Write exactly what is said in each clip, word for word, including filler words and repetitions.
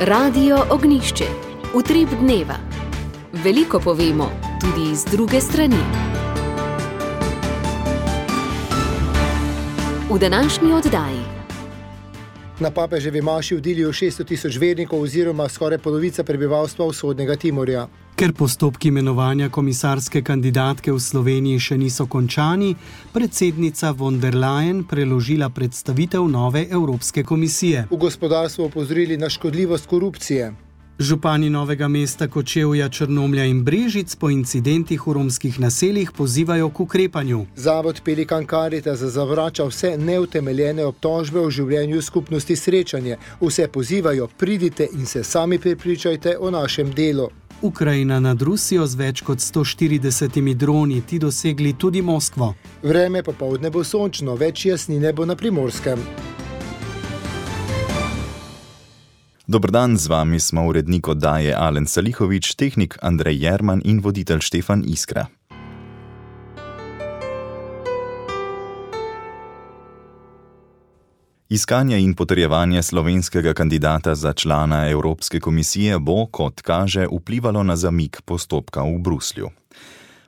Radio Ognjišče. Utrip dneva. Veliko povemo, tudi iz druge strani. V današnji oddaji. Na papeževi maši v Diliju šeststo tisoč vernikov oziroma skoraj polovica prebivalstva vzhodnega Timorja. Ker postopki imenovanja komisarske kandidatke v Sloveniji še niso končani, predsednica von der Leyen preložila predstavitev nove Evropske komisije. V gospodarstvu opozorili na škodljivost korupcije. Župani Novega mesta, Kočevja, Črnomlja in Brežic po incidentih v romskih naseljih pozivajo k ukrepanju. Zavod Pelikan Caritas zavrača vse neutemeljene obtožbe o življenju skupnosti Srečanje. Vse pozivajo, pridite in se sami prepričajte o našem delu. Ukrajina nad Rusijo z več kot sto štiridesetimi droni, ti dosegli tudi Moskvo. Vreme popoldne bo sončno, več jasnine bo na Primorskem. Dober dan, z vami smo urednik oddaje Alen Salihovič, tehnik Andrej Jerman in voditelj Štefan Iskra. Iskanje in potrjevanje slovenskega kandidata za člana Evropske komisije bo, kot kaže, vplivalo na zamik postopka v Bruslju.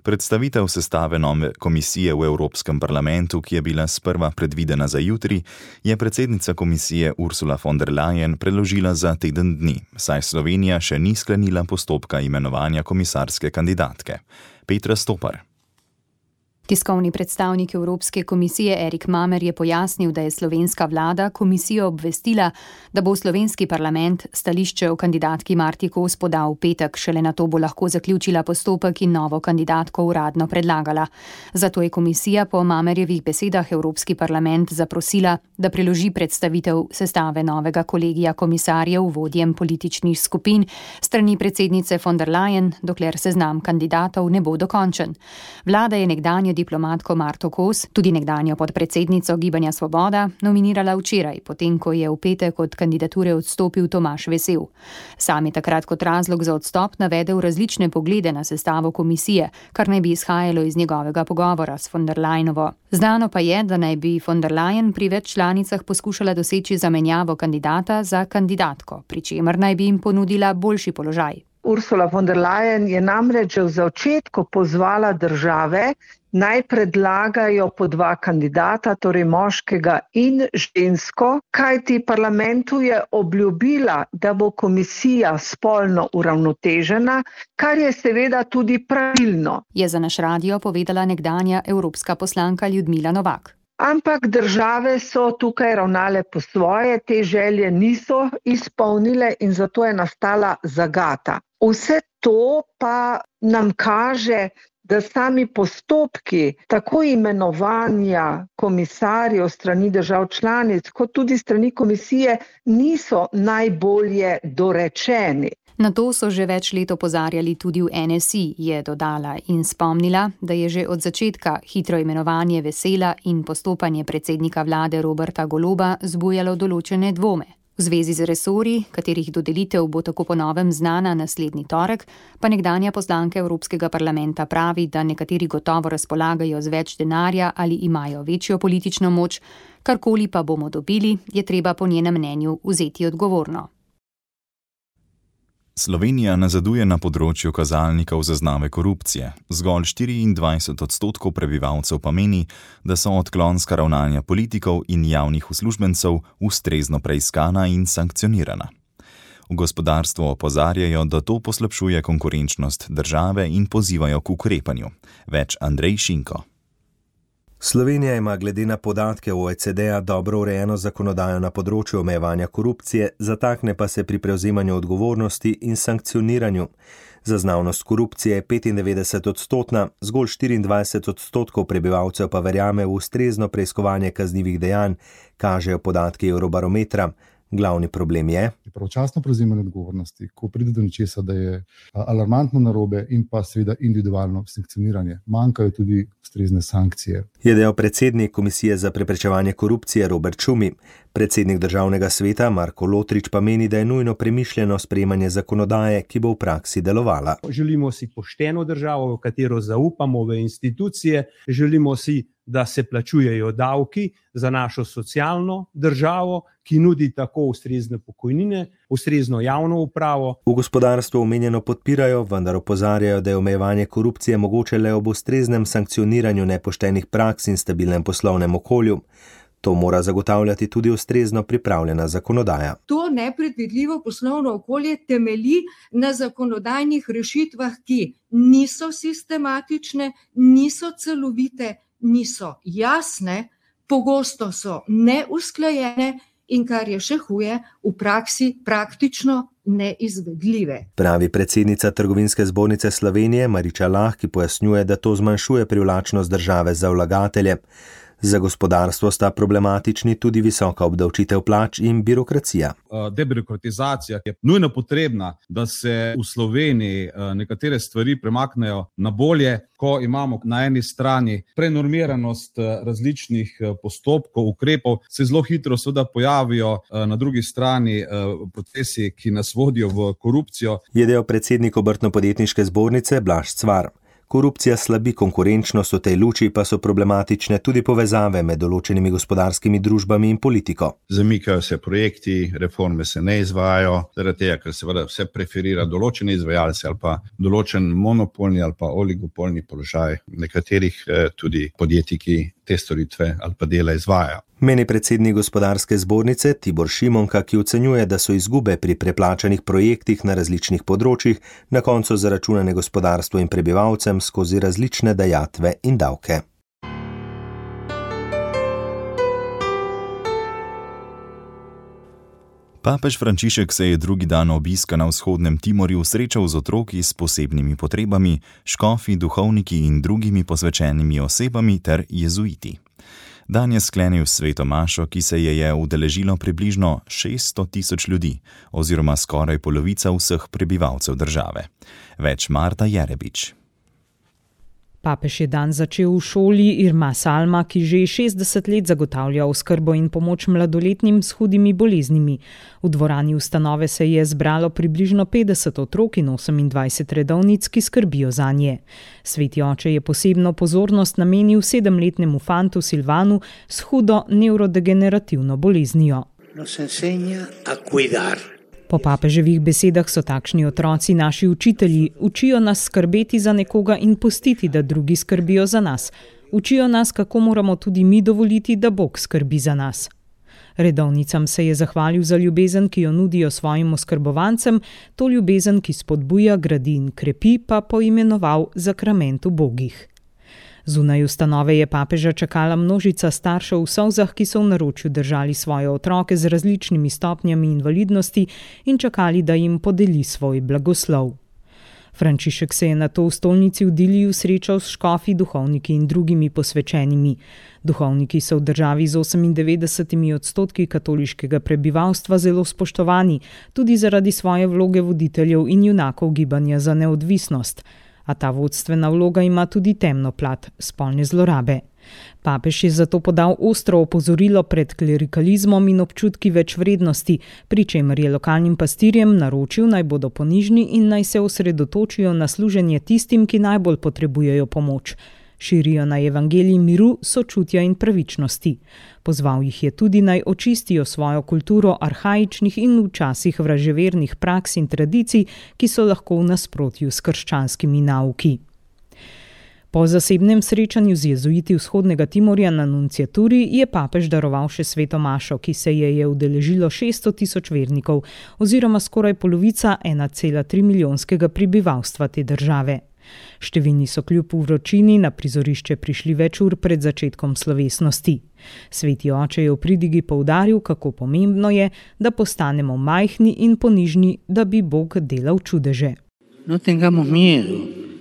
Predstavitev sestave nove komisije v Evropskem parlamentu, ki je bila sprva predvidena za jutri, je predsednica komisije Ursula von der Leyen preložila za teden dni, saj Slovenija še ni sklenila postopka imenovanja komisarske kandidatke. Petra Stopar. Tiskovni predstavnik Evropske komisije Erik Mamer je pojasnil, da je slovenska vlada komisijo obvestila, da bo v slovenski parlament stališče o kandidatki Marti Kos podal v petek, šele nato bo lahko zaključila postopek in novo kandidatko uradno predlagala. Zato je komisija po Mamerjevih besedah Evropski parlament zaprosila, da preloži predstavitev sestave novega kolegija komisarjev vodjem političnih skupin strani predsednice von der Leyen, dokler seznam kandidatov ne bo dokončen. Vlada je nekdanjo diplomatko Marto Kos, tudi nekdanjo podpredsednico Gibanja Svoboda, nominirala včeraj, potem ko je v petek od kandidature odstopil Tomaž Vesel. Sam je takrat kot razlog za odstop navedel različne poglede na sestavo komisije, kar naj bi izhajalo iz njegovega pogovora s von der Leyenovo. Znano pa je, da naj bi von der Leyen pri več članicah poskušala doseči zamenjavo kandidata za kandidatko, pri čemer naj bi jim ponudila boljši položaj. Ursula von der Leyen je namreč v začetku pozvala države, naj predlagajo po dva kandidata, torej moškega in žensko, kajti parlamentu je obljubila, da bo komisija spolno uravnotežena, kar je seveda tudi pravilno. Je za naš radio povedala nekdanja evropska poslanka Ljudmila Novak. Ampak države so tukaj ravnale po svoje, te želje niso izpolnile in zato je nastala zagata. Vse to pa nam kaže, da sami postopki tako imenovanja komisarjev strani držav članic, kot tudi strani komisije, niso najbolje dorečeni. Na to so že več let opozarjali tudi v N S I, je dodala in spomnila, da je že od začetka hitro imenovanje Vesela in postopanje predsednika vlade Roberta Goloba zbujalo določene dvome. V zvezi z resorji, katerih dodelitev bo tako po novem znana naslednji torek, pa nekdanja poslanka Evropskega parlamenta pravi, da nekateri gotovo razpolagajo z več denarja ali imajo večjo politično moč, karkoli pa bomo dobili, je treba po njenem mnenju vzeti odgovorno. Slovenija nazaduje na področju kazalnikov zaznave korupcije. Zgolj štiriindvajset odstotkov prebivalcev pa meni, da so odklonska ravnanja politikov in javnih uslužbencev ustrezno preiskana in sankcionirana. V gospodarstvu opozarjajo, da to poslabšuje konkurenčnost države in pozivajo k ukrepanju. Več Andrej Šinko. Slovenija ima glede na podatke O E C D-a dobro urejeno zakonodajo na področju omejevanja korupcije, zatakne pa se pri prevzemanju odgovornosti in sankcioniranju. Zaznavnost korupcije je petindevetdeset odstotna, zgolj štiriindvajset odstotkov prebivalcev pa verjame v ustrezno preiskovanje kaznivih dejanj, kažejo podatki Eurobarometra. Glavni problem je pravočasno prevzemanje odgovornosti, ko pride do nečesa, da je alarmantno narobe, in pa seveda individualno sankcioniranje. Manjkajo tudi ustrezne sankcije. Je dejal predsednik Komisije za preprečevanje korupcije Robert Šumi. Predsednik državnega sveta Marko Lotrič pa meni, da je nujno premišljeno sprejemanje zakonodaje, ki bo v praksi delovala. Želimo si pošteno državo, v katero zaupamo v institucije, želimo si, da se plačujejo davki za našo socialno državo, ki nudi tako ustrezne pokojnine, ustrezno javno upravo. V gospodarstvu omenjeno podpirajo, vendar opozarjajo, da je omejevanje korupcije mogoče le ob ustreznem sankcioniranju nepoštenih praks in stabilnem poslovnem okolju. To mora zagotavljati tudi ustrezno pripravljena zakonodaja. To nepredvidljivo poslovno okolje temelji na zakonodajnih rešitvah, ki niso sistematične, niso celovite, niso jasne, pogosto so neusklajene in, kar je še huje, v praksi praktično neizvedljive. Pravi predsednica Trgovinske zbornice Slovenije Mariča Lah, ki pojasnjuje, da to zmanjšuje privlačnost države za vlagatelje. Za gospodarstvo sta problematični tudi visoka obdavčitev plač in birokracija. Debirokratizacija je nujno potrebna, da se v Sloveniji nekatere stvari premaknejo na bolje, ko imamo na eni strani prenormiranost različnih postopkov, ukrepov, se zelo hitro seveda pojavijo na drugi strani procesi, ki nas vodijo v korupcijo. Je dejal predsednik Obrtno-podjetniške zbornice Blaž Cvar. Korupcija slabi konkurenčnost, v tej luči pa so problematične tudi povezave med določenimi gospodarskimi družbami in politiko. Zamikajo se projekti, reforme se ne izvajajo, zaradi tega, ker seveda vse preferira določene izvajalce ali pa določen monopolni ali pa oligopolni položaj nekaterih tudi podjetij, ki te storitve ali pa dela izvajajo. Meni predsednik gospodarske zbornice Tibor Šimonka, ki ocenjuje, da so izgube pri preplačanih projektih na različnih področjih na koncu zaračunane gospodarstvu in prebivalcem skozi različne dajatve in davke. Papež Frančišek se je drugi dan obiska na vzhodnem Timorju srečal z otroki s posebnimi potrebami, škofi, duhovniki in drugimi posvečenimi osebami ter jezuiti. Dan je sklenil sveto mašo, ki se je je udeležilo približno šeststo tisoč ljudi, oziroma skoraj polovica vseh prebivalcev države. Več Marta Jerebič. Papež je dan začel v šoli Irma Salma, ki že šestdeset let zagotavlja oskrbo in pomoč mladoletnim s hudimi boleznimi. V dvorani ustanove se je zbralo približno petdeset otrok in osemindvajset redovnic, ki skrbijo zanje. Sveti oče je posebno pozornost namenil sedemletnemu fantu Silvanu s hudo nevrodegenerativno boleznijo. Nos enseña a cuidar. Po papeževih besedah so takšni otroci naši učitelji, učijo nas skrbeti za nekoga in pustiti, da drugi skrbijo za nas. Učijo nas, kako moramo tudi mi dovoliti, da Bog skrbi za nas. Redovnicam se je zahvalil za ljubezen, ki jo nudijo svojim oskrbovancem, to ljubezen, ki spodbuja, gradi in krepi, pa poimenoval zakrament ubogih. Zunaj ustanove je papeža čakala množica staršev v solzah, ki so v naročju držali svoje otroke z različnimi stopnjami invalidnosti in čakali, da jim podeli svoj blagoslov. Frančišek se je nato v stolnici v Diliju srečal s škofi, duhovniki in drugimi posvečenimi. Duhovniki so v državi z osemindevetdesetimi odstotki katoliškega prebivalstva zelo spoštovani, tudi zaradi svoje vloge voditeljev in junakov gibanja za neodvisnost. A ta vodstvena vloga ima tudi temno plat, spolne zlorabe. Papež je zato podal ostro opozorilo pred klerikalizmom in občutki večvrednosti, pri čemer je lokalnim pastirjem naročil, naj bodo ponižni in naj se osredotočijo na služenje tistim, ki najbolj potrebujejo pomoč. Širijo naj evangelij miru, sočutja in pravičnosti. Pozval jih je tudi naj očistijo svojo kulturo arhaičnih in včasih vraževernih praks in tradicij, ki so lahko v nasprotju s krščanskimi nauki. Po zasebnem srečanju z jezuiti vzhodnega Timorja na nunciaturi je papež daroval še sveto mašo, ki se je je udeležilo šeststo tisoč vernikov, oziroma skoraj polovica ena cela tri milijonskega prebivalstva te države. Številni so kljub vročini na prizorišče prišli več ur pred začetkom slovesnosti. Sveti oče je v pridigi poudaril, kako pomembno je, da postanemo majhni in ponižni, da bi Bog delal čudeže. No tengamos miedo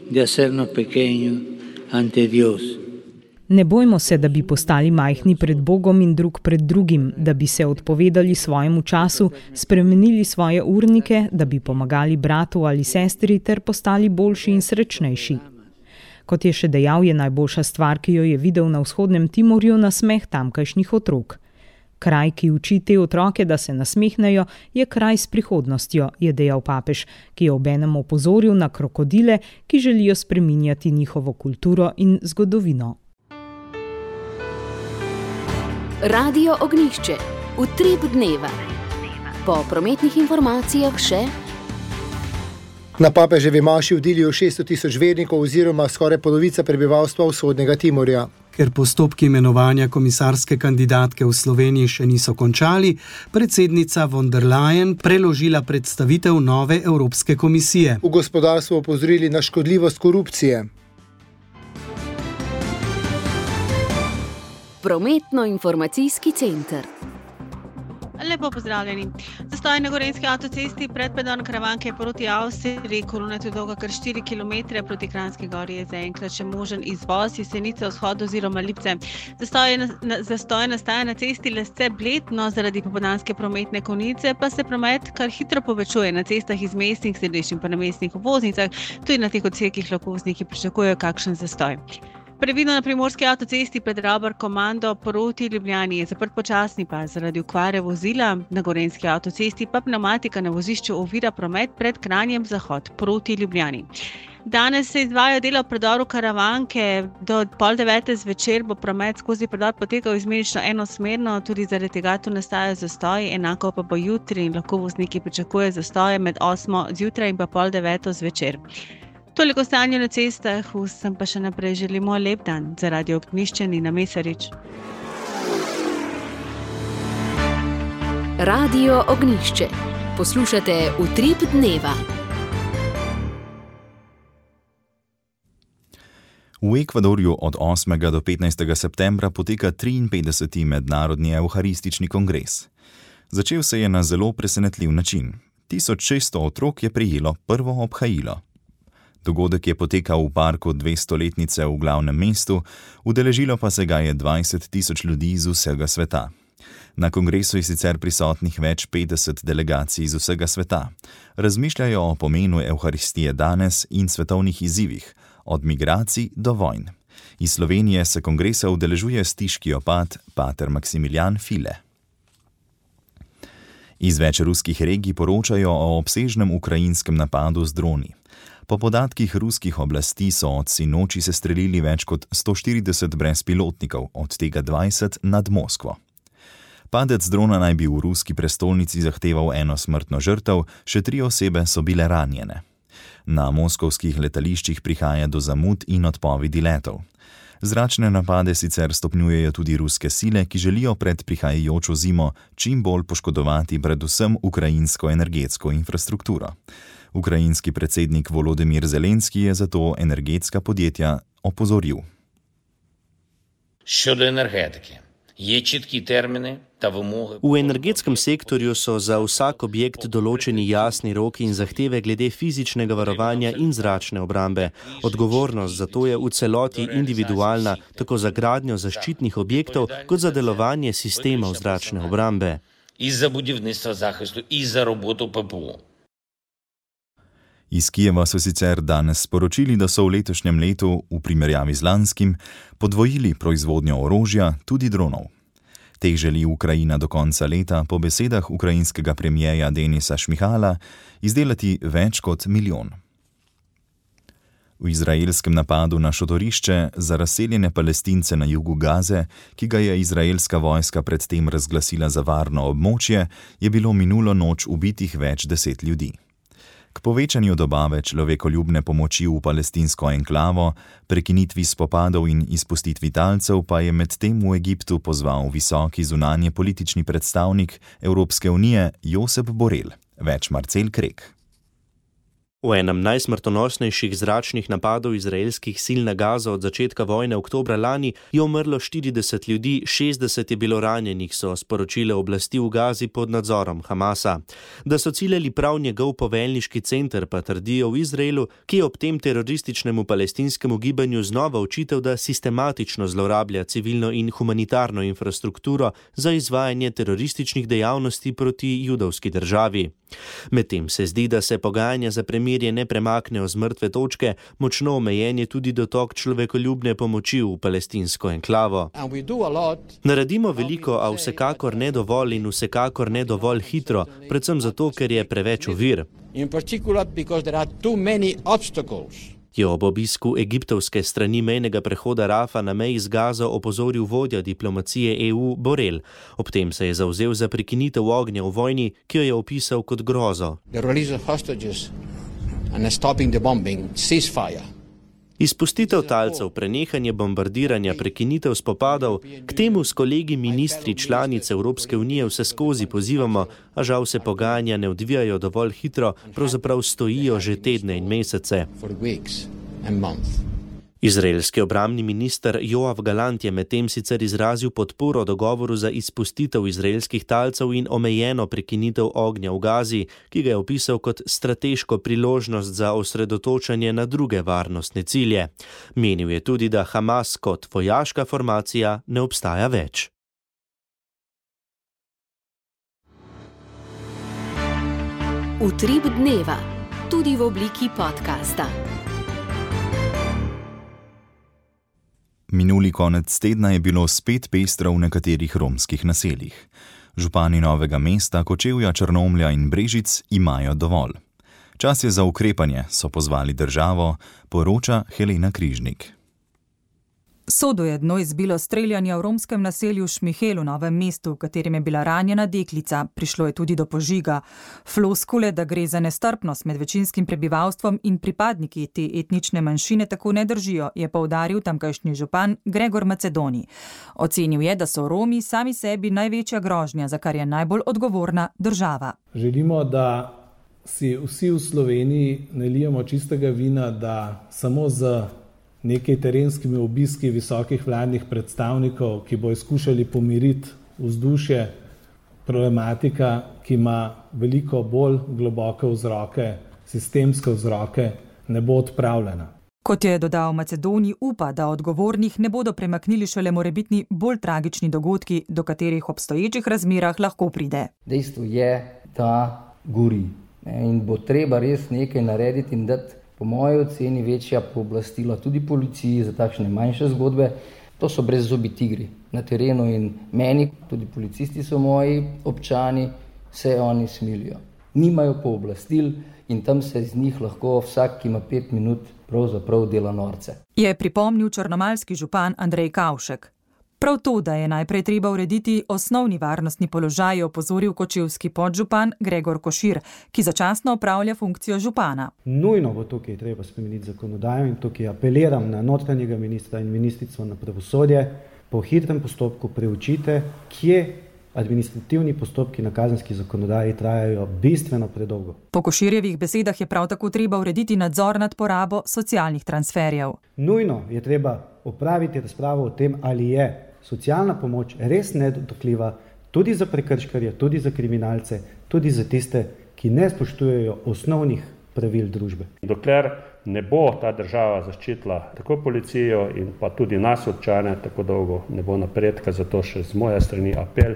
de hacernos pequeños ante Dios. Ne bojmo se, da bi postali majhni pred Bogom in drug pred drugim, da bi se odpovedali svojemu času, spremenili svoje urnike, da bi pomagali bratu ali sestri ter postali boljši in srečnejši. Kot je še dejal, je najboljša stvar, ki jo je videl na vzhodnem Timorju, nasmeh tamkajšnjih otrok. Kraj, ki uči te otroke, da se nasmehnejo, je kraj s prihodnostjo, je dejal papež, ki je obenem opozoril na krokodile, ki želijo spreminjati njihovo kulturo in zgodovino. Radio Ognjišče. Utrip dneva. Po prometnih informacijah še. Na papeževi maši vdilijo šeststo tisoč vernikov oziroma skoraj polovica prebivalstva vzhodnega Timorja. Ker postopki imenovanja komisarske kandidatke v Sloveniji še niso končali, predsednica von der Leyen preložila predstavitev nove Evropske komisije. V gospodarstvu opozorili na škodljivost korupcije. Prometno-informacijski center. Lepo pozdravljeni. Zastoj na gorenjski avtocesti pred predor Karavanke proti Avstriji, kolona je dolga kar štiri kilometre, proti Kranjski gori je zaenkrat še možen izvoz, Jesenice, vzhod oziroma Lipce. Zastoj, na, zastoj nastaja na cesti Lesce-Bled, no zaradi popoldanske prometne konice pa se promet kar hitro povečuje na cestah iz mestnih središč in pa na mestnih obvoznicah, tudi na teh odsekih lahko vozniki pričakujejo kakšen zastoj. Previdno na primorski avtocesti pred Rabar Komando proti Ljubljani je zaprt počasni pas zaradi okvare vozila, na gorenjski avtocesti pa pneumatika na vozišču ovira promet pred Kranjem zahod proti Ljubljani. Danes se izvajajo dela v predoru Karavanke, do pol devete zvečer bo promet skozi predor potekal izmenično enosmerno, tudi zaradi tega tu nastajajo zastoji, enako pa bo jutri in lahko vozniki pričakujejo zastoje med osmo zjutraj in pa pol deveto zvečer. Toliko stanja na cestah, vsem pa še naprej želimo lep dan. Za Radio Ognjišče Nina Mesarič. Radio Ognjišče. Poslušate Utrip dneva. V Ekvadorju od osmega do petnajstega septembra poteka triinpetdeseti mednarodni evharistični kongres. Začel se je na zelo presenetljiv način. tisoč šeststo otrok je prejelo prvo obhajilo. Dogodek je potekal v parku dvestoletnice v glavnem mestu, udeležilo pa se ga je dvajset tisoč ljudi iz vsega sveta. Na kongresu je sicer prisotnih več petdeset delegacij iz vsega sveta. Razmišljajo o pomenu evharistije danes in svetovnih izzivih, od migracij do vojn. Iz Slovenije se kongresa udeležuje stiški opat pater Maksimilijan File. Iz več ruskih regij poročajo o obsežnem ukrajinskem napadu z droni. Po podatkih ruskih oblasti so od sinoči sestrelili več kot sto štirideset brezpilotnikov, od tega dvajset nad Moskvo. Padec drona naj bi v ruski prestolnici zahteval eno smrtno žrtev, še tri osebe so bile ranjene. Na moskovskih letališčih prihaja do zamud in odpovedi letov. Zračne napade sicer stopnjujejo tudi ruske sile, ki želijo pred prihajajočo zimo čim bolj poškodovati predvsem ukrajinsko energetsko infrastrukturo. Ukrajinski predsednik Volodymyr Zelenski je zato energetska podjetja opozoril. Щодо енергетики, є чіткі терміни та вимоги. V energetskem sektorju so za vsak objekt določeni jasni roki in zahteve glede fizičnega varovanja in zračne obrambe. Odgovornost za to je v celoti individualna, tako za gradnjo zaščitnih objektov, kot za delovanje sistemov zračne obrambe. І за будівництво захисту, і за роботу ППО. Iz Kijeva so sicer danes sporočili, da so v letošnjem letu, v primerjavi z lanskim, podvojili proizvodnjo orožja, tudi dronov. Teh želi Ukrajina do konca leta, po besedah ukrajinskega premijeja Denisa Šmihala, izdelati več kot milijon. V izraelskem napadu na šotorišče za razseljene Palestince na jugu Gaze, ki ga je izraelska vojska predtem razglasila za varno območje, je bilo minulo noč ubitih več deset ljudi. K povečanju dobave človekoljubne pomoči v palestinsko enklavo, prekinitvi spopadov in izpustitvi talcev pa je medtem v Egiptu pozval visoki zunanje politični predstavnik Evropske unije Josep Borrell. Več Marcel Krek. V enem najsmrtonosnejših zračnih napadov izraelskih sil na Gazo od začetka vojne oktobra lani je umrlo štirideset ljudi, šestdeset je bilo ranjenih, so sporočile oblasti v Gazi pod nadzorom Hamasa. Da so ciljali prav njegov poveljniški center, pa trdijo v Izraelu, ki je ob tem terorističnemu palestinskemu gibanju znova očital, da sistematično zlorablja civilno in humanitarno infrastrukturo za izvajanje terorističnih dejavnosti proti judovski državi. Medtem se zdi, da se pogajanja za premirje ne premaknejo z mrtve točke, močno omejen je tudi dotok človekoljubne pomoči v palestinsko enklavo. Naredimo veliko, a vsekakor ne dovolj in vsekakor ne dovolj hitro, predvsem zato, ker je preveč ovir. Je ob obisku egiptovske strani mejnega prehoda Rafa na meji z Gazo opozoril vodja diplomacije E U Borrell. Ob tem se je zavzel za prekinitev ognja v vojni, ki jo je opisal kot grozo. Izpustitev talcev, prenehanje bombardiranja, prekinitev spopadov, k temu s kolegi ministri članic Evropske unije vse skozi pozivamo, a žal se pogajanja ne odvijajo dovolj hitro, pravzaprav stojijo že tedne in mesece. Izraelski obrambni minister Joav Galant je medtem sicer izrazil podporo dogovoru za izpustitev izraelskih talcev in omejeno prekinitev ognja v Gazi, ki ga je opisal kot strateško priložnost za osredotočanje na druge varnostne cilje. Menil je tudi, da Hamas kot vojaška formacija ne obstaja več. Utrip dneva, tudi v obliki podcasta. Minuli konec tedna je bilo spet pestro v nekaterih romskih naseljih. Župani Novega mesta, Kočevja, Črnomlja in Brežic imajo dovolj. Čas je za ukrepanje, so pozvali državo, poroča Helena Križnik. Sodo je dno izbilo streljanja v romskem naselju Šmihel v Novem mestu, v katerem je bila ranjena deklica. Prišlo je tudi do požiga. Floskule, da gre za nestrpnost med večinskim prebivalstvom in pripadniki te etnične manjšine, tako ne držijo, je poudaril tamkajšnji župan Gregor Macedoni. Ocenil je, da so Romi sami sebi največja grožnja, za kar je najbolj odgovorna država. Želimo, da si vsi v Sloveniji ne lijemo čistega vina, da samo z nekaj terenskimi obiski visokih vladnih predstavnikov, ki bo skušali pomiriti vzdušje, problematika, ki ima veliko bolj globoke vzroke, sistemske vzroke, ne bo odpravljena. Kot je dodal Macedoni, upa, da odgovornih ne bodo premaknili šele morebitni bolj tragični dogodki, do katerih v obstoječih razmerah lahko pride. Dejstvo je, da gori in bo treba res nekaj narediti in dati po moji oceni večja pooblastila tudi policiji za takšne manjše zgodbe. To so brezzobi tigri na terenu in meni, tudi policisti so moji občani, se oni smilijo. Nimajo pooblastil in tam se iz njih lahko vsak, ki ima pet minut, pravzaprav dela norce. Je pripomnil črnomaljski župan Andrej Kavšek. Prav to, da je najprej treba urediti osnovni varnostni položaj, je opozoril kočevski podžupan Gregor Košir, ki začasno opravlja funkcijo župana. Nujno bo tukaj treba spremeniti zakonodajo in tukaj apeliram na notranjega ministra in ministrico na pravosodje, po hitrem postopku preučite, kje administrativni postopki na kazenski zakonodaji trajajo bistveno predolgo. Po Koširjevih besedah je prav tako treba urediti nadzor nad porabo socialnih transferjev. Nujno je treba opraviti razpravo o tem, ali je socialna pomoč res nedotakljiva tudi za prekrškarje, tudi za kriminalce, tudi za tiste, ki ne spoštujejo osnovnih pravil družbe. Dokler ne bo ta država zaščitila tako policijo in pa tudi nas občane, tako dolgo ne bo napredka, zato še z moje strani apel,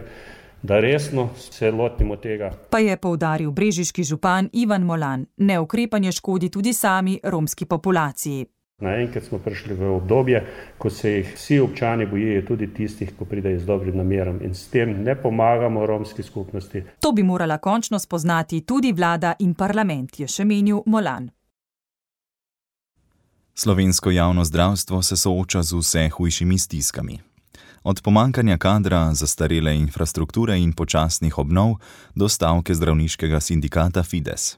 da resno se lotimo tega. Pa je poudaril brežiški župan Ivan Molan, neukrepanje škodi tudi sami romski populaciji. Naenkrat smo prišli v obdobje, ko se jih vsi občani bojijo, tudi tistih, ko pridejo z dobrim namerom in s tem ne pomagamo romski skupnosti. To bi morala končno spoznati tudi vlada in parlament, je še menil Molan. Slovensko javno zdravstvo se sooča z vse hujšimi stiskami. Od pomankanja kadra, zastarele infrastrukture in počasnih obnov do stavke zdravniškega sindikata Fides.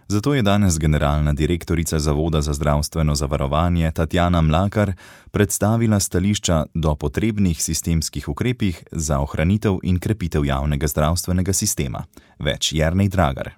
Zato je danes generalna direktorica Zavoda za zdravstveno zavarovanje Tatjana Mlakar predstavila stališča do potrebnih sistemskih ukrepih za ohranitev in krepitev javnega zdravstvenega sistema. Več Jernej Dragar.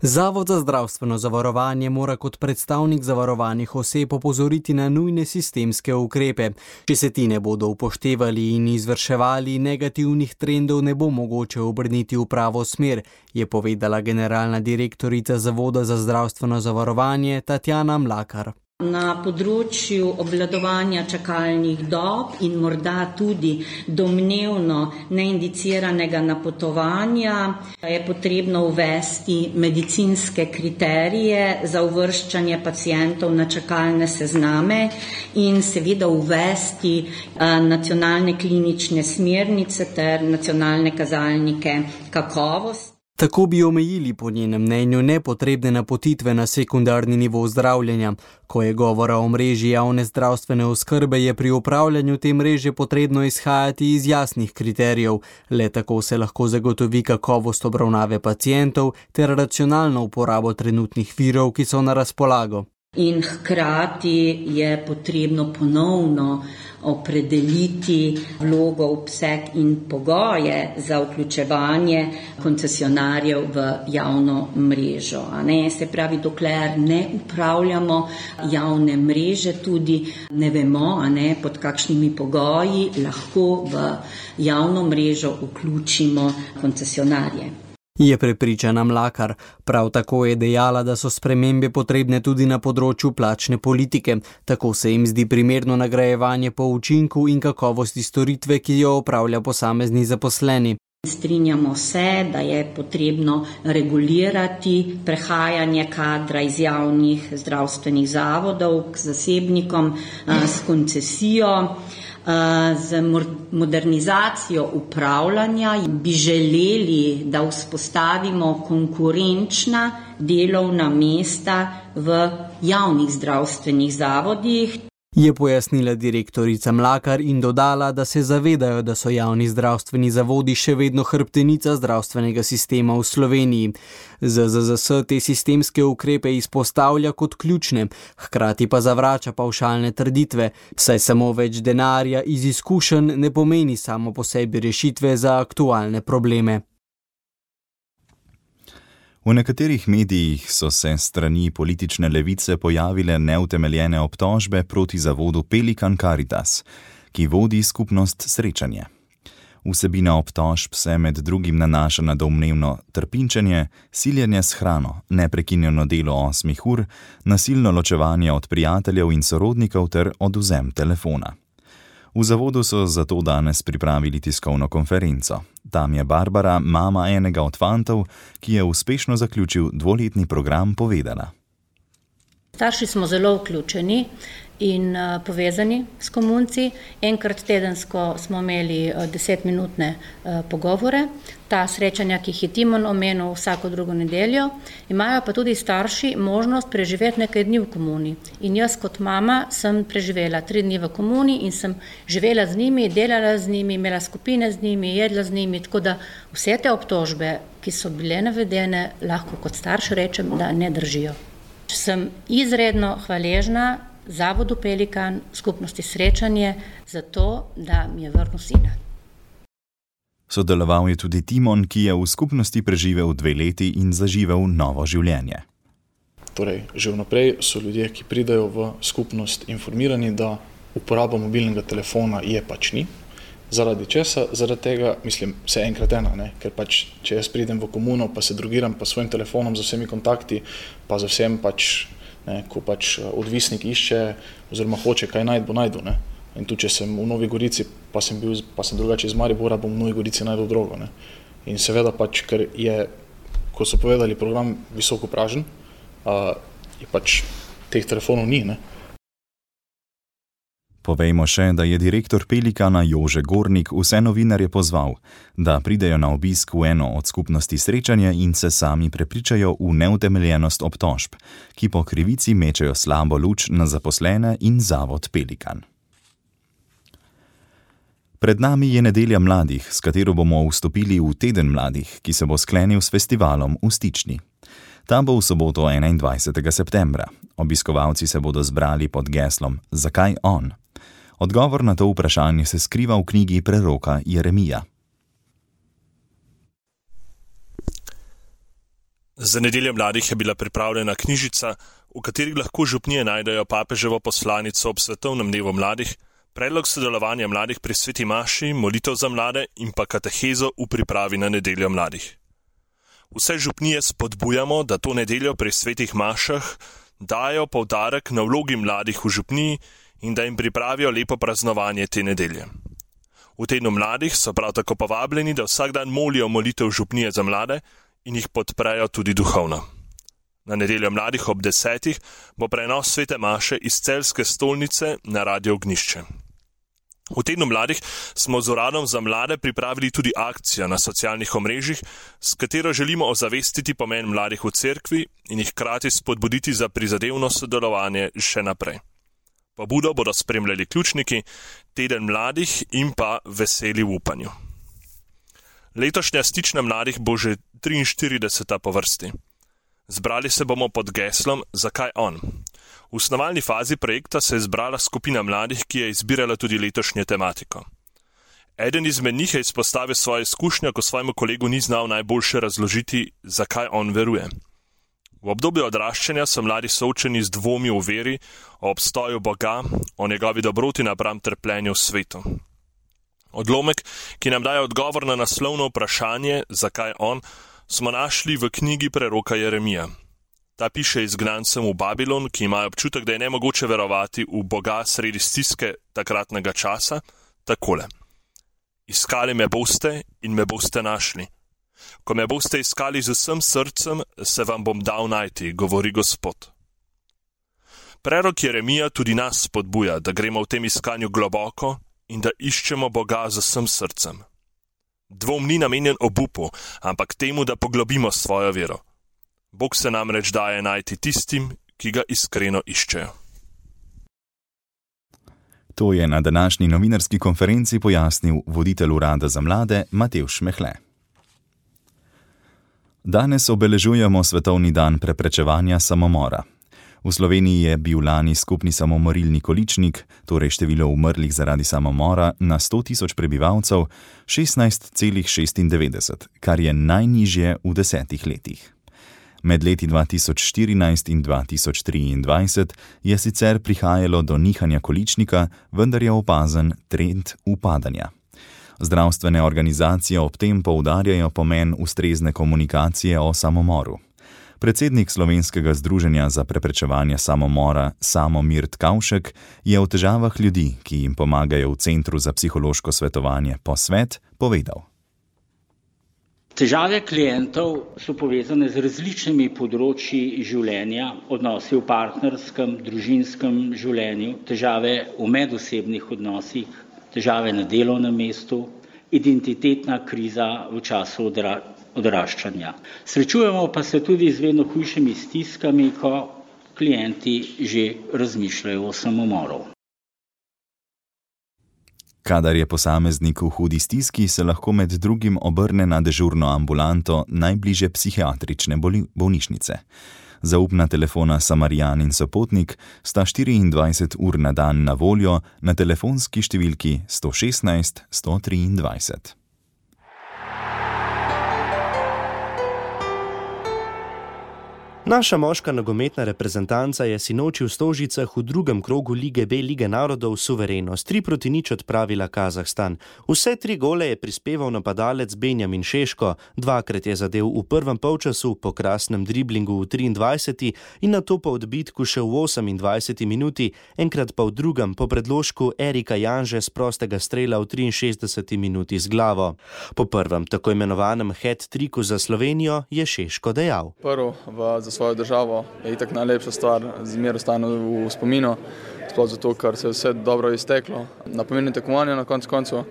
Zavod za zdravstveno zavarovanje mora kot predstavnik zavarovanih oseb opozoriti na nujne sistemske ukrepe. Če se ti ne bodo upoštevali in izvrševali, negativnih trendov ne bo mogoče obrniti v pravo smer, je povedala generalna direktorica Zavoda za zdravstveno zavarovanje Tatjana Mlakar. Na področju obvladovanja čakalnih dob in morda tudi domnevno neindiciranega napotovanja je potrebno uvesti medicinske kriterije za uvrščanje pacientov na čakalne sezname in seveda uvesti nacionalne klinične smernice ter nacionalne kazalnike kakovosti. Tako bi omejili po njenem mnenju nepotrebne napotitve na sekundarni nivo zdravljenja. Ko je govora o mreži javne zdravstvene oskrbe, je pri upravljanju te mreže potrebno izhajati iz jasnih kriterijev. Le tako se lahko zagotovi kakovost obravnave pacientov ter racionalno uporabo trenutnih virov, ki so na razpolago. In hkrati je potrebno ponovno opredeliti vlogo, obseg in pogoje za vključevanje koncesionarjev v javno mrežo. A ne, se pravi, dokler ne upravljamo javne mreže, tudi ne vemo, a ne, pod kakšnimi pogoji lahko v javno mrežo vključimo koncesionarje. Je prepričana Mlakar. Prav tako je dejala, da so spremembe potrebne tudi na področju plačne politike. Tako se jim zdi primerno nagrajevanje po učinku in kakovosti storitve, ki jo opravlja posamezni zaposleni. Strinjamo se, da je potrebno regulirati prehajanje kadra iz javnih zdravstvenih zavodov k zasebnikom s koncesijo. Z modernizacijo upravljanja bi želeli, da vzpostavimo konkurenčna delovna mesta v javnih zdravstvenih zavodih. Je pojasnila direktorica Mlakar in dodala, da se zavedajo, da so javni zdravstveni zavodi še vedno hrbtenica zdravstvenega sistema v Sloveniji. Z Z Z S te sistemske ukrepe izpostavlja kot ključne, hkrati pa zavrača pavšalne trditve, saj samo več denarja iz izkušenj ne pomeni samo po sebi rešitve za aktualne probleme. V nekaterih medijih so se strani politične levice pojavile neutemeljene obtožbe proti zavodu Pelikan Caritas, ki vodi skupnost Srečanje. Vsebina obtožb se med drugim nanaša na domnevno trpinčenje, siljenje s hrano, neprekinjeno delo osmih ur, nasilno ločevanje od prijateljev in sorodnikov ter odvzem telefona. V zavodu so zato danes pripravili tiskovno konferenco. Tam je Barbara, mama enega od fantov, ki je uspešno zaključil dvoletni program, povedala. Starši smo zelo vključeni in uh, povezani s komunci. Enkrat tedensko smo imeli uh, desetminutne uh, pogovore. Ta srečanja, ki jih je Timon omenil vsako drugo nedeljo, imajo pa tudi starši možnost preživeti nekaj dni v komuni. In jaz kot mama sem preživela tri dni v komuni in sem živela z njimi, delala z njimi, imela skupine z njimi, jedla z njimi, tako da vse te obtožbe, ki so bile navedene, lahko kot starš rečem, da ne držijo. Sem izredno hvaležna Zavodu Pelikan, skupnosti Srečanje, za to, da mi je vrnil sina. Sodeloval je tudi Timon, ki je v skupnosti preživel dve leti in zaživel novo življenje. Torej, že vnaprej so ljudje, ki pridejo v skupnost, informirani, da uporaba mobilnega telefona je pač ni. Zaradi česa? Zaradi tega, mislim, vse enkrat ena, ne? Ker pač, če jaz pridem v komuno, pa se drogiram pa svojim telefonom z vsemi kontakti, pa za vsem pač, ne, ko pač odvisnik išče oziroma hoče kaj najti, bo najdu, ne. In tu, če sem v Novi Gorici, pa sem bil, pa sem drugače iz Maribora, bom v Novi Gorici najdel drogo, ne. In seveda pač, ker je, ko so povedali, program visoko pražen, uh, je pač teh telefonov ni, ne. Povejmo še, da je direktor Pelikana Jože Gornik vse novinarje pozval, da pridejo na obisk v eno od skupnosti Srečanje in se sami prepričajo v neutemeljenost obtožb, ki po krivici mečejo slabo luč na zaposlene in zavod Pelikan. Pred nami je nedelja mladih, s katero bomo vstopili v teden mladih, ki se bo sklenil s festivalom v Stični. Ta bo v soboto enaindvajsetega septembra. Obiskovalci se bodo zbrali pod geslom Zakaj on? Odgovor na to vprašanje se skriva v knjigi preroka Jeremija. Za nedeljo mladih je bila pripravljena knjižica, v kateri lahko župnije najdejo papeževo poslanico ob svetovnem dnevu mladih, predlog sodelovanja mladih pri sveti maši, molitev za mlade in pa katehezo v pripravi na nedeljo mladih. Vse župnije spodbujamo, da to nedeljo pri svetih mašah dajo poudarek na vlogi mladih v župniji in da jim pripravijo lepo praznovanje te nedelje. V tednu mladih so prav tako povabljeni, da vsak dan molijo molitev župnije za mlade in jih podprejo tudi duhovno. Na nedeljo mladih ob desetih bo prenos svete maše iz celjske stolnice na Radio Ognjišče. V tednu mladih smo z Uradom za mlade pripravili tudi akcijo na socialnih omrežjih, s katero želimo ozavestiti pomen mladih v cerkvi in jih hkrati spodbuditi za prizadevno sodelovanje še naprej. Pobudo bodo spremljali ključniki, teden mladih in pa veseli v upanju. Letošnja stična mladih bo že triinštirideseta po vrsti. Zbrali se bomo pod geslom Zakaj on? V snovalni fazi projekta se je zbrala skupina mladih, ki je izbirala tudi letošnjo tematiko. Eden izmed njih je izpostavil svoje izkušnje, ko svojemu kolegu ni znal najboljše razložiti, zakaj on veruje. V obdobju odraščanja so mladi soočeni z dvomi v veri, o obstoju Boga, o njegovi dobroti napram trpljenju v svetu. Odlomek, ki nam daje odgovor na naslovno vprašanje, zakaj on, smo našli v knjigi preroka Jeremija. Ta piše izgnancem v Babilon, ki imajo občutek, da je nemogoče verovati v Boga sredi stiske takratnega časa, takole. Iskali me boste in me boste našli. Ko me boste iskali z vsem srcem, se vam bom dal najti, govori Gospod. Prerok Jeremija tudi nas spodbuja, da gremo v tem iskanju globoko in da iščemo Boga z vsem srcem. Dvom ni namenjen obupu, ampak temu, da poglobimo svojo vero. Bog se namreč daje najti tistim, ki ga iskreno iščejo. To je na današnji novinarski konferenci pojasnil voditelj Urada za mlade Matevž Mehle. Danes obeležujemo Svetovni dan preprečevanja samomora. V Sloveniji je bil lani skupni samomorilni količnik, torej število umrlih zaradi samomora na sto tisoč prebivalcev, šestnajst celih šestindevetdeset, kar je najnižje v desetih letih. Med leti dva tisoč štirinajst in dva tisoč triindvajset je sicer prihajalo do nihanja količnika, vendar je opazen trend upadanja. Zdravstvene organizacije ob tem poudarjajo pomen ustrezne komunikacije o samomoru. Predsednik Slovenskega združenja za preprečevanje samomora Samomir Tkavšek je o težavah ljudi, ki jim pomagajo v Centru za psihološko svetovanje Posvet, povedal. Težave klientov so povezane z različnimi področji življenja, odnosi v partnerskem, družinskem življenju, težave v medosebnih odnosih, težave na delovnem mestu, identitetna kriza v času odra- odraščanja. Srečujemo pa se tudi z vedno hujšimi stiskami, ko klienti že razmišljajo o samomoru. Kadar je posameznik v hudi stiski, se lahko med drugim obrne na dežurno ambulanto najbližje psihiatrične bolnišnice. Zaupna telefona Samarijan in Sopotnik sta štiriindvajset ur na dan na voljo na telefonski številki sto šestnajst sto triindvajset. Naša moška nogometna reprezentanca je sinoči v Stožicah v drugem krogu Lige B Lige narodov suvereno s tri proti nič odpravila Kazahstan. Vse tri gole je prispeval napadalec Benjamin Šeško, dvakrat je zadel v prvem polčasu po krasnem driblingu v triindvajseti in nato po odbitku še v osemindvajseti minuti, enkrat pa v drugem po predložku Erika Janže z prostega strela v triinšestdeseti minuti z glavo. Po prvem tako imenovanem hat-triku za Slovenijo je Šeško dejal. Prvo v svojo državo je itak najlepša stvar, zmer ostane v spominu, sploh zato, ker se je vse dobro izteklo. Na pomembnem tekmovanju na koncu koncu.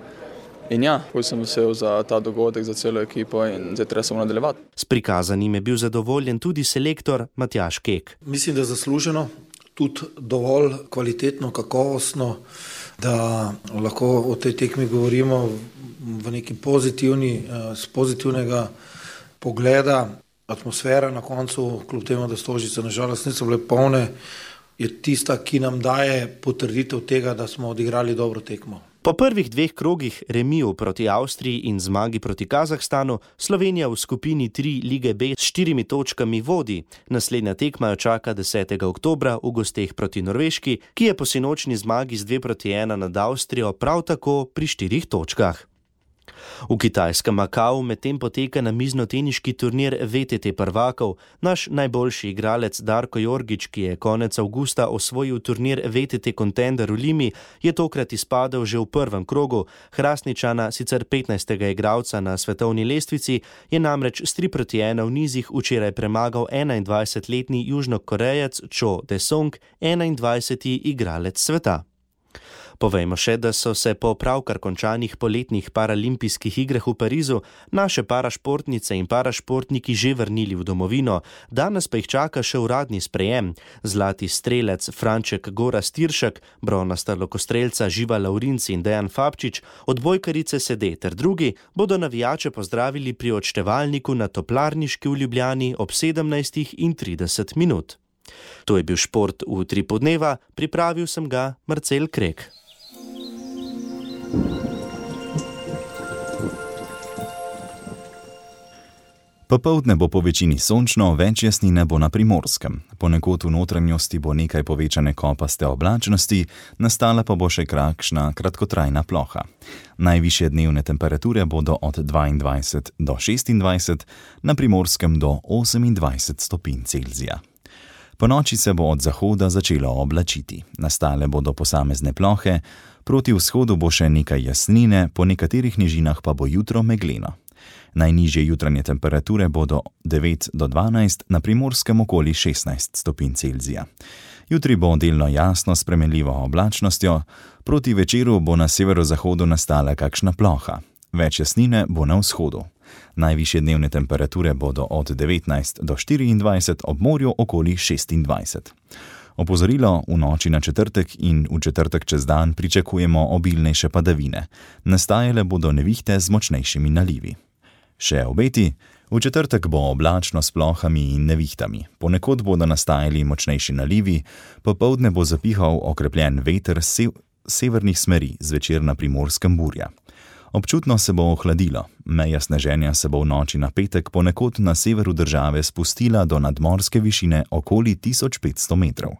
In ja, bolj sem vesel za ta dogodek, za celo ekipo in zdaj treba samo nadaljevati. S prikazanim je bil zadovoljen tudi selektor Matjaž Kek. Mislim, da zasluženo, tudi dovolj kvalitetno, kakovostno, da lahko o tej tekmi govorimo v neki pozitivni, z pozitivnega pogleda. Atmosfera na koncu, kljub temu, da Stožice nažalost niso bile polne, je tista, ki nam daje potrditev tega, da smo odigrali dobro tekmo. Po prvih dveh krogih remiju proti Avstriji in zmagi proti Kazahstanu, Slovenija v skupini tri Lige B s štirimi točkami vodi. Naslednja tekma jo čaka desetega oktobra v gosteh proti Norveški, ki je po sinočni zmagi z dve proti ena nad Avstrijo prav tako pri štirih točkah. V kitajskem Makau medtem poteka namiznoteniški turnir V T T prvakov. Naš najboljši igralec Darko Jorgič, ki je konec avgusta osvojil turnir V T T Contender v Limi, je tokrat izpadel že v prvem krogu. Hrastničana, sicer petnajstega igralca na svetovni lestvici, je namreč s tri proti ena v nizih včeraj premagal enaindvajsetletni Južnokorejec Cho Dae-sung, enaindvajseti igralec sveta. Povejmo še, da so se po pravkar končanih poletnih paralimpijskih igrah v Parizu naše parašportnice in parašportniki že vrnili v domovino, danes pa jih čaka še uradni sprejem. Zlati strelec Franček Gorazd Tiršek, bronasta lokostrelca Živa Lavrinc in Dejan Fabčič, odbojkarice Sede ter drugi bodo navijače pozdravili pri odštevalniku na Toplarniški v Ljubljani ob sedemnajstih in trideset minut. To je bil šport v Utripu dneva, pripravil sem ga Marcel Krek. Popoldne bo po večini sončno, več jasnine bo na Primorskem. Ponekod v notranjosti bo nekaj povečane kopaste oblačnosti, nastala pa bo še kakšna kratkotrajna ploha. Najvišje dnevne temperature bodo od dvaindvajset do šestindvajset, na Primorskem do osemindvajset stopinj Celzija. Po noči se bo od zahoda začelo oblačiti. Nastale bodo posamezne plohe, proti vzhodu bo še nekaj jasnine, po nekaterih nižinah pa bo jutro megleno. Najnižje jutranje temperature bodo devet do dvanajst, na Primorskem okoli šestnajst stopinj Celzija. Jutri bo delno jasno s spremenljivo oblačnostjo, proti večeru bo na severozahodu nastala kakšna ploha. Več jasnine bo na vzhodu. Najvišje dnevne temperature bodo od devetnajst do štiriindvajset, ob morju okoli šestindvajset. Opozorilo, v noči na četrtek in v četrtek čez dan pričakujemo obilnejše padavine. Nastajale bodo nevihte z močnejšimi nalivi. Še obeti, v četrtek bo oblačno s plohami in nevihtami. Ponekod bodo nastajali močnejši nalivi, popoldne bo zapihal okrepljen veter z severnih smeri, zvečer na Primorskem burja. Občutno se bo ohladilo, meja sneženja se bo v noči na petek ponekod na severu države spustila do nadmorske višine okoli tisoč petsto metrov.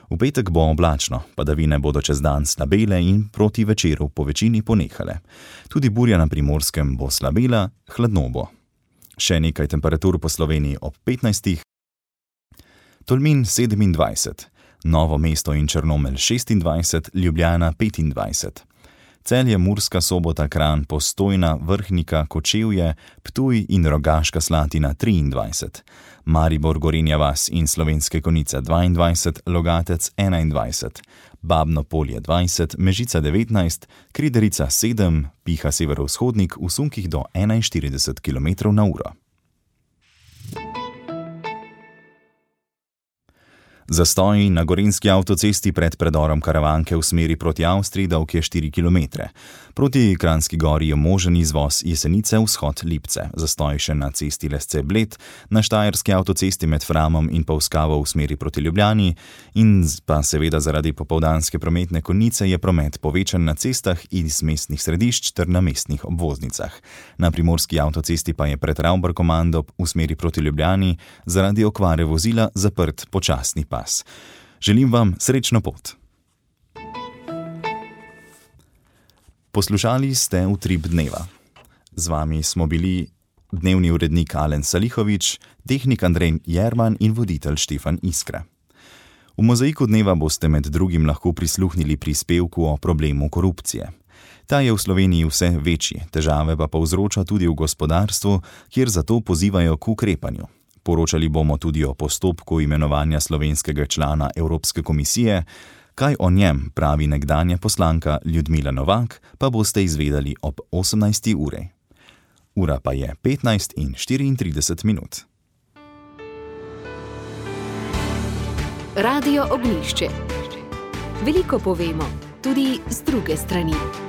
V petek bo oblačno, padavine bodo čez dan slabele in proti večeru po večini ponehale. Tudi burja na Primorskem bo slabela, hladno bo. Še nekaj temperatur po Sloveniji ob petnajstih. Tolmin sedemindvajset, Novo mesto in Črnomelj šestindvajset, Ljubljana petindvajset. Celje, Murska Sobota, Kranj, Postojna, Vrhnika, Kočevje, Ptuj in Rogaška Slatina triindvajset, Maribor, Gorenja vas in Slovenske Konjice dvaindvajset, Logatec enaindvajset, Babno Polje dvajset, Mežica devetnajst, Kriderica sedem, piha severovzhodnik v sunkih do enainštirideset kilometrov na uro. Zastoji na gorenjski avtocesti pred predorom Karavanke v smeri proti Avstriji dolg je štiri kilometre. Proti Kranjski Gori je možen izvoz Jesenice vzhod Lipce. Zastoj še na cesti Lesce-Bled, na štajerski avtocesti med Framom in Polskavo v smeri proti Ljubljani in pa seveda zaradi popoldanske prometne konice je promet povečan na cestah iz mestnih središč ter na mestnih obvoznicah. Na primorski avtocesti pa je pred Ravbar-Komando v smeri proti Ljubljani zaradi okvare vozila zaprt počasni pas. Želim vam srečno pot. Poslušali ste Utrip dneva. Z vami smo bili dnevni urednik Alen Salihovič, tehnik Andrej Jerman in voditelj Štefan Iskra. V mozaiku dneva boste med drugim lahko prisluhnili prispevku o problemu korupcije. Ta je v Sloveniji vse večji, težave pa povzroča tudi v gospodarstvu, kjer zato pozivajo k ukrepanju. Poročali bomo tudi o postopku imenovanja slovenskega člana Evropske komisije. Kaj o njem pravi nekdanja poslanka Ljudmila Novak, pa boste izvedeli ob osemnajsti uri. Ura pa je petnajst in štiriintrideset minut. Radio Ognjišče. Veliko povemo, tudi z druge strani.